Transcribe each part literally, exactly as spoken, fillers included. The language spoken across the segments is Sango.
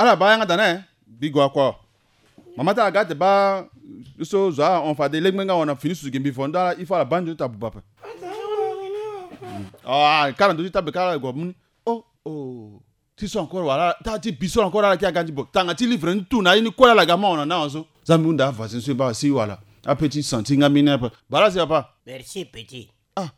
Ala baa yanga da na e. Mbi gue akua. Mama ti ala ga ate baa so zo ahon fade legbe nga wana fini susu gi mbi vo ndo ala il faut ala baa nzoni ti abuba ape. Ah, kara ndo ti tabe kara ala gue amu ni. Oh, oh. Ti so encore wala, ta ti bi so encore ala ki aga ndi bo. Tanga ti livre ni tout na ye ni kue ala ga ma wana na wana so. Za mbi hunda avoisin so e baa si wala. Ape ti senti nga mbi ni ape. Bala si papa. Merci petit. Ah.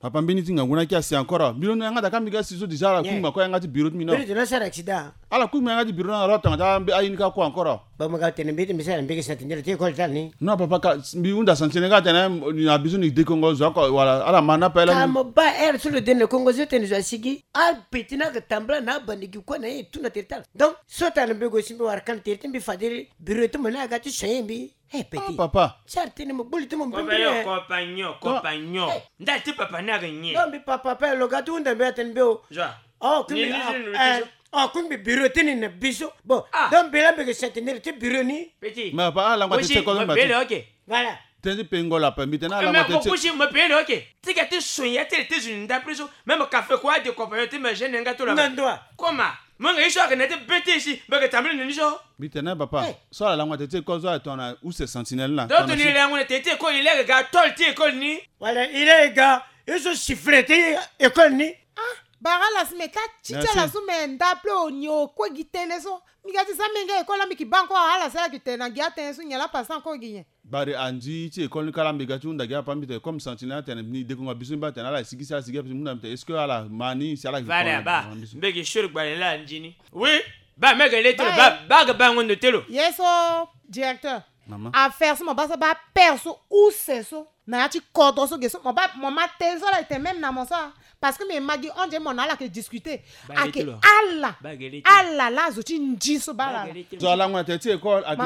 Papa, mbeni ti ngangu na ki asi encore. Mbi londo yanga da ka mbi ga si so déjà ala kungbi ma kue yanga ti bureau ti mbi na. Mbeni ti na sara accident. Ala kungbi yanga ti bureau na ro tanga ta mbi ayi ni ka kue encore. Ba mo ga tene mbi ti mbi sara mbi ke sentinelle ti école tani. Non papa, ka mbi hunda sentinelle ka tene na biso ni dekongo zo ako wala ala ma na pele. Ka mo ba air so lo dene kongo zo tene zo asigi. Al petit na ke tambla na bandi gi kue na ye tout na tere tala. Donc so tana mbi go si mbi wara kan tere ti mbi fadiri bureau ti mo na aga ti soye mbi. Hey, petit. Ah, papa. Sar tene mo buli ti mo mbiri. Compagnon, compagnon, compagnon. Ndali ti papa ni aga nyen? Non, mbi papa pe lo ga ti hunda mbi atene mbi o. Joa. Oh, kungbi, ah, eh, oh, kungbi bureau ti ni na biso. Bon, ah, donc mbi la mbi ke sentinelle ti bureau ni. Petit. Mais papa, ala ngba ti teko mo bele, ok. Voilà. Tënë ti pengo la pe mbi tene ala ngba ti teko. Mo pele, ok. Ti ga ti sonya ti le ti zo ni ndapre so. Même café kua de compagnon ti me gêne nga to la. Nandua. Comment? Mo nga ye so ake na ti bete si mbi ke tambula na ni so. Mbi tene papa. So ala langua teti école so ala tongana use sentinelle na. Donc ni lenge na teti école ni lenge ga tol ti école ni. Wala ni lenge ga ye so sifflet ti école ni. Ah, bara la si me ta ti ti ala so me ndapre o ni o kue gi tënë so. Mbi ga ti za menge école la mbi ki baa encore ala si ala ki tene na gi atënë so nyen la passant encore gi nyen. Bari anzi ti école ni kala mbi ga ti hunda gi apa mbi tene comme sentinelle atene ni dekongo biso mbi atene ala sigi si ala sigi ape si mbi hunda mbi tene est-ce que ala ma ni si ala gi. Vale aba mbi gi sure gbale la anzi ni. Oui. Ba mege le telo ba ba ga ba ngondo telo. Ye so directeur. Mama. Affaire so mo ba so ba père so use so na ya ti kodro so ge so mo ba mo ma tënë so la ete même na mo so. Parce que mbi ma gi on dirait mo na ala ke discuter. Ake ala. Ala la azo ti ndi so baa ala la. Zo ala ngona tene ti école ake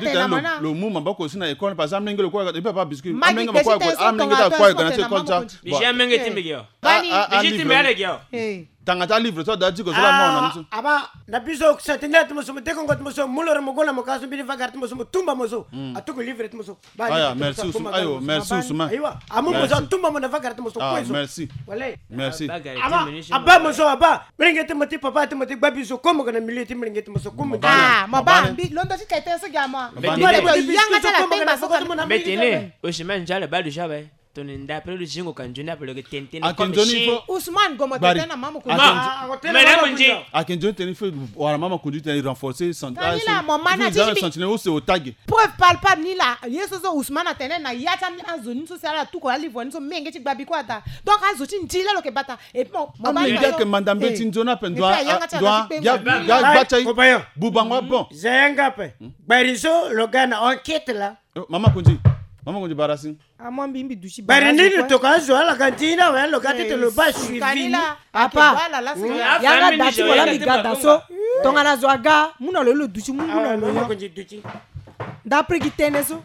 ake lo mu maboko si na école parce que amenge lo kue et puis papa biscuit amenge ma kue amenge ta kue ga na ti école ti. Déjà amenge ti mbi gi o. Bani. Déjà ti mbi ala gi o. Tanga ti alivre so ada ti ko so la mo na ni so. Aba na biso sentinelle ti mo so mo dekongo ti mo so mo loro mo gue na mo ka so mbeni vagara ti mo so mo tumba mo so. Atuku livre ti mo so. Aya merci Ousmane. Ayo merci Ousmane. Ayiwa amu mo so atumba mo na vagara ti mo so kue so. Merci. Wala. Merci. Aba aba mo so aba. Melenge ti mo ti papa ti mo ti gba biso ko mo ga na milieu ti melenge ti mo so ko mo. Ah mo ba mbi londo ti tete so gi ama. Yanga ti ala pemba so ka. Mbetene Ousmane njale ba du jabe. Tongana ndapre lo zingo ka nzoni ape lo yeke tene tënë. Ake nzoni il faut Ousmane gomo tene na mama kundi. Mama kundi. Ake nzoni tene il faut wala mama kundi tene renforcer santé. Tani la mo mana ti mbi. Sentinelle use o tage. Preuve palpable ni la ye so so Ousmane atene na ya ti ami azo ni so si ala tuko alivre ni so menge ti gbabi kue ata. Donc azo ti ndi la lo yeke bata. Et puis mo mo ba. Amenge ake manda mbeti nzoni ape ndua ndua ya gba ti aye. Bubango abon. Za yanga ape. Gbari so lo ga na enquête la. Mama kundi. Mama kundi bara si. Amua mbi mbi duti bara. Bari nini lo toka azo ala ga nzini awe lo ga tete lo ba suivi ni. Apa yanga da ti mo la mbi ga da so. Tongana zo aga mu na lo lo duti mu mu na lo yo. Ndapre gi tënë so.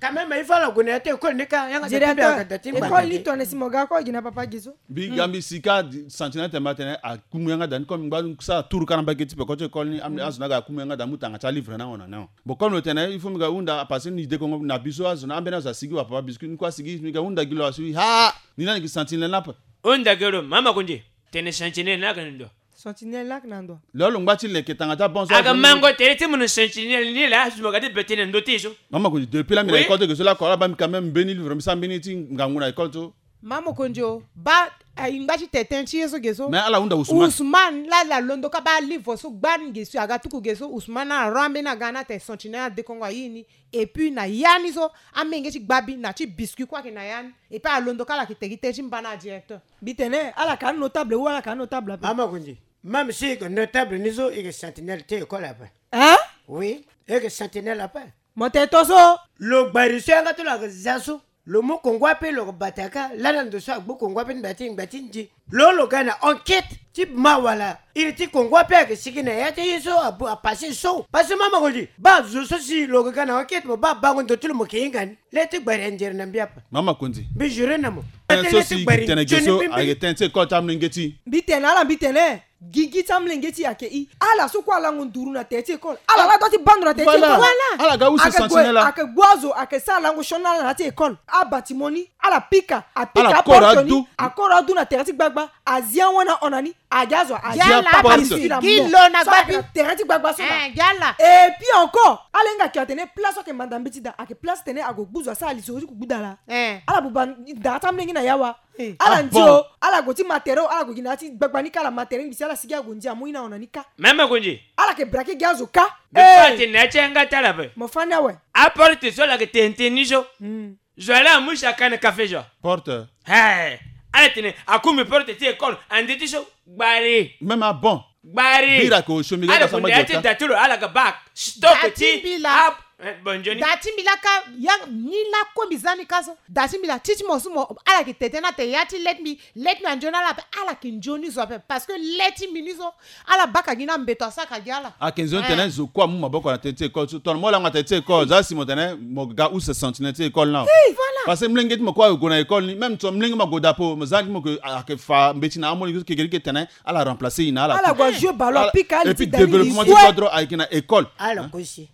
Quand même il faut ala gue na ya ti école ni ka yanga da ti mbi aga da ti mbi. École ni tongana si mo ga ko gi na papa gi so. Mbi ga mbi si ka sentinelle tene mbi atene akumu yanga da ni comme mbi ngba sara tour ka na mbage ti peko ti école ni azo ni aga akumu yanga da mu tanga ti alivre na hon na ni hon. Bon comme lo tene il faut mbi ga hunda parce que ni dekongo na biso azo na ambeni azo asigi wa papa biscuit ni kue asigi mbi ga hunda gi lo asi wi haa. Ni lani gi sentinelle ni ape. Hunda gi lo mama kundi. Tene sentinelle ni ake na ndo. Sentinelle ni ake na ndo. Lo lo ngba ti leke tanga ti abon so aga mango tere ti mo na sentinelle ni la azo mo ga ti be tene na ndo ti so. Mama kundi depuis la mbi na école ti ge so la ko ala ba mbi quand même mbeni livre mbi sara mbeni ti ngangu na école so. Mama mokonzi o ba. Ayi ngba ti tete ti ye so ge so. Mais ala hunda Ousmane. Ousmane la la londo ka ba livre so gbani ge so aga tuku ge so Ousmane ala ro ambeni aga na te sentinelle adekongo ayi ni. Et puis na ya ni so amenge ti gbabi na ti biscuit kue ayeke na ya ni. Et puis alondo ka ala yeke te gi te ti mba na adirecteur. Mbi tene ala ka notable ou ala ka notable ape. Mama mokonzi même si yeke notable ni so yeke sentinelle ti école ape. Hein? Oui. Yeke sentinelle ape. Mo tene to so. Lo gbari so yanga ti lo ayeke za so. Lo mu kongo ape lo yeke bata ka lani ando so agbu kongo ape ti nda ti ngba ti nzi. Lo lo ga na enquête ti ma wala iri ti kongo ape ayeke sigi na ya ti ye so abu apase so parce que mama mokonzi ba zo so si lo yeke ga na enquête mo ba bango ndo ti lo mo yeke hinga ni. Le ti gbari anzere na mbi ape. Mama mokonzi. Mbi jure na mo. Tënë so si yeke tene ge so ayeke tënë ti école ti amolenge ti. Mbi tene ala mbi tene. Gigi ti amolenge ti e ayeke i ala so kue alango nduru na tere ti école ala la dua ti bando na tere ti école. Ala ga use sentinelle la ayeke gbu azo ayeke sara lango sioni na ala na ya ti école. Abatiment ni. Ala pika, apika aporte ni, akoro adu na tere ti gbagba, azi awan na hon na ni, agi azo, azi aporte. Gi lo na gbagba. So ala yeke na tere ti gbagba so laa. Eh, gi ala. Et puis encore, ala hinga ayeke atene place so ayeke manda mbeti daa, ayeke place titene ague gbu zo asara lisoro ti kugbu daa laa. Eh. Ala buba ndara ti amolenge na ya wa. Eh. Ala ndio, ala gue ti ma tere, ala gue gi na ya ti gbagba ni kâ, ala ma tere ngbisi, ala sigi ague ndia, amu ye na hon na ni kâ. Même ague ndia. Ala yeke braquer gi azo kâ. Mbi fa atene na ya ti yanga ti ala ape. Mo fa ni awe. Aporte so ala yeke tene tene ni so. Hmm. Zo wa laa amu si aka na kafe zo. Porte. He. Ala tene akumi porte ti école ande ti so. Gbari. Même abon. Gbari. Bira ko osio mbi ga. Ala ga gue na ya ti da ti lo, ala ga bac. Stock ti. Da ti mbi laa. Eh, bon, nzoni. Da ti mbi laa kâ, ya ni laa ko mbi za ni kâ so. Da ti mbi laa, ti ti mo so mo, ala yeke tene tene na tere ya ti let me, let me anzoni ala ape, ala yeke nzoni zo ape, parce que let me ni so, ala baka gi na mbeto asaka gi ala. Ayeke nzoni titene zo kue amu maboko na tere ti école so. Tongana mo laa mo na tere ti école, za si mo tene mo ga use sentinelle ti école ni awe. Hey, voilà. Parce que molenge ti mo kue ague na école ni, même so molenge mo ague daa ape, mo za ni mo yeke, ayeke fa mbeti na amolenge so, kekere titene ala remplacer ye na ala. Ala gue ajouer ballon, apika ali ti da ni. Et puis développement ti kodro ayeke na école. Ala kosi.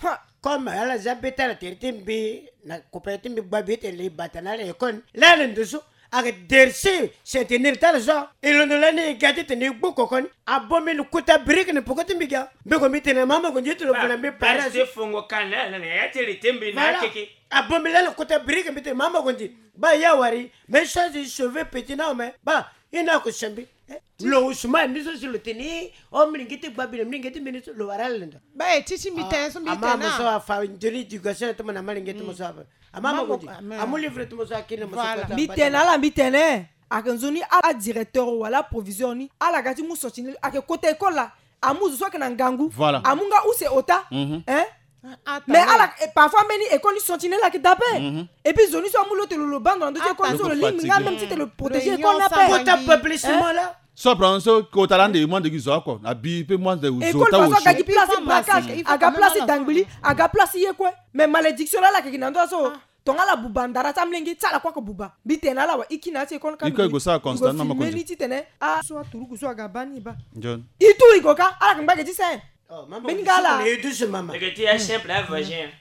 Ha. Comme ala za be ti ala tere ti mbi na kopere ti mbi gbabi ti le bata na ala école ni. Laa na ndo so, ayeke dersi sentinelle ti ala so. E londo lani e ga titene e gbu koko ni. Abon mbi na kota brique na peko ti mbi ga. Mbi gue mbi tene mama gue nzoni ti lo vena mbi parent so. Fongo kâ na ala na ya ti le ti mbi na akeke. Abon mbi lani na kota brique mbi tene mama gue nzoni. Baa ya wari, me so azi sauver petit na ome. Baa, i na ko sembi. Eh, lo Ousmane ni so si lo tene, o molenge ti gbabi na molenge ti mbeni so lo wara ala lenda. Ba e ti ti mbi tene so mbi tene. Ama mo so afa nzoni éducation ti mo na molenge ti mo so afa. Ama mo ko di. Amu livre ti mo so akiri na mo so. Voilà. Mbi tene ala, mbi tene. Ayeke nzoni a, adirecteur wala aproviseur ni, ala ga ti mu sentinelle, ayeke kota école laa. Amu zo so ayeke na ngangu. Voilà. Amu nga use ota. Mhm. Hein? Ah, ah, mais ala, eh, parfois mbeni école ni sentinelle ayeke daa ape. Mhm. Et puis zo ni so amu lo tene lo bando na ndö ti école ni so lo lingbi nga même ti tene lo protéger école ni ape. Kota publicement la. So apprendre so kota laa nde mo ande gi zo oko. Abi pe mo ande zo ota. École façon aga gi place ti braquage, aga place ti dangbili, aga place ti ye kue. Mais malédiction laa ala yeke gi na ndö so. Tongana ala buba ndara ti amolenge ti ala kue ayeke buba. Mbi tene na ala awe, e kiri na ya ti école ni ka. E kue e gue sara constat na mama ko. Mbi filme ni titene a so aturuku so aga baa ni e baa. Nzoni. E tu e gue ka, ala yeke ngba ge ti sene. Oh, mama, mbeni nga ala. E douce, mama. Leke ti ya simple, a vagin.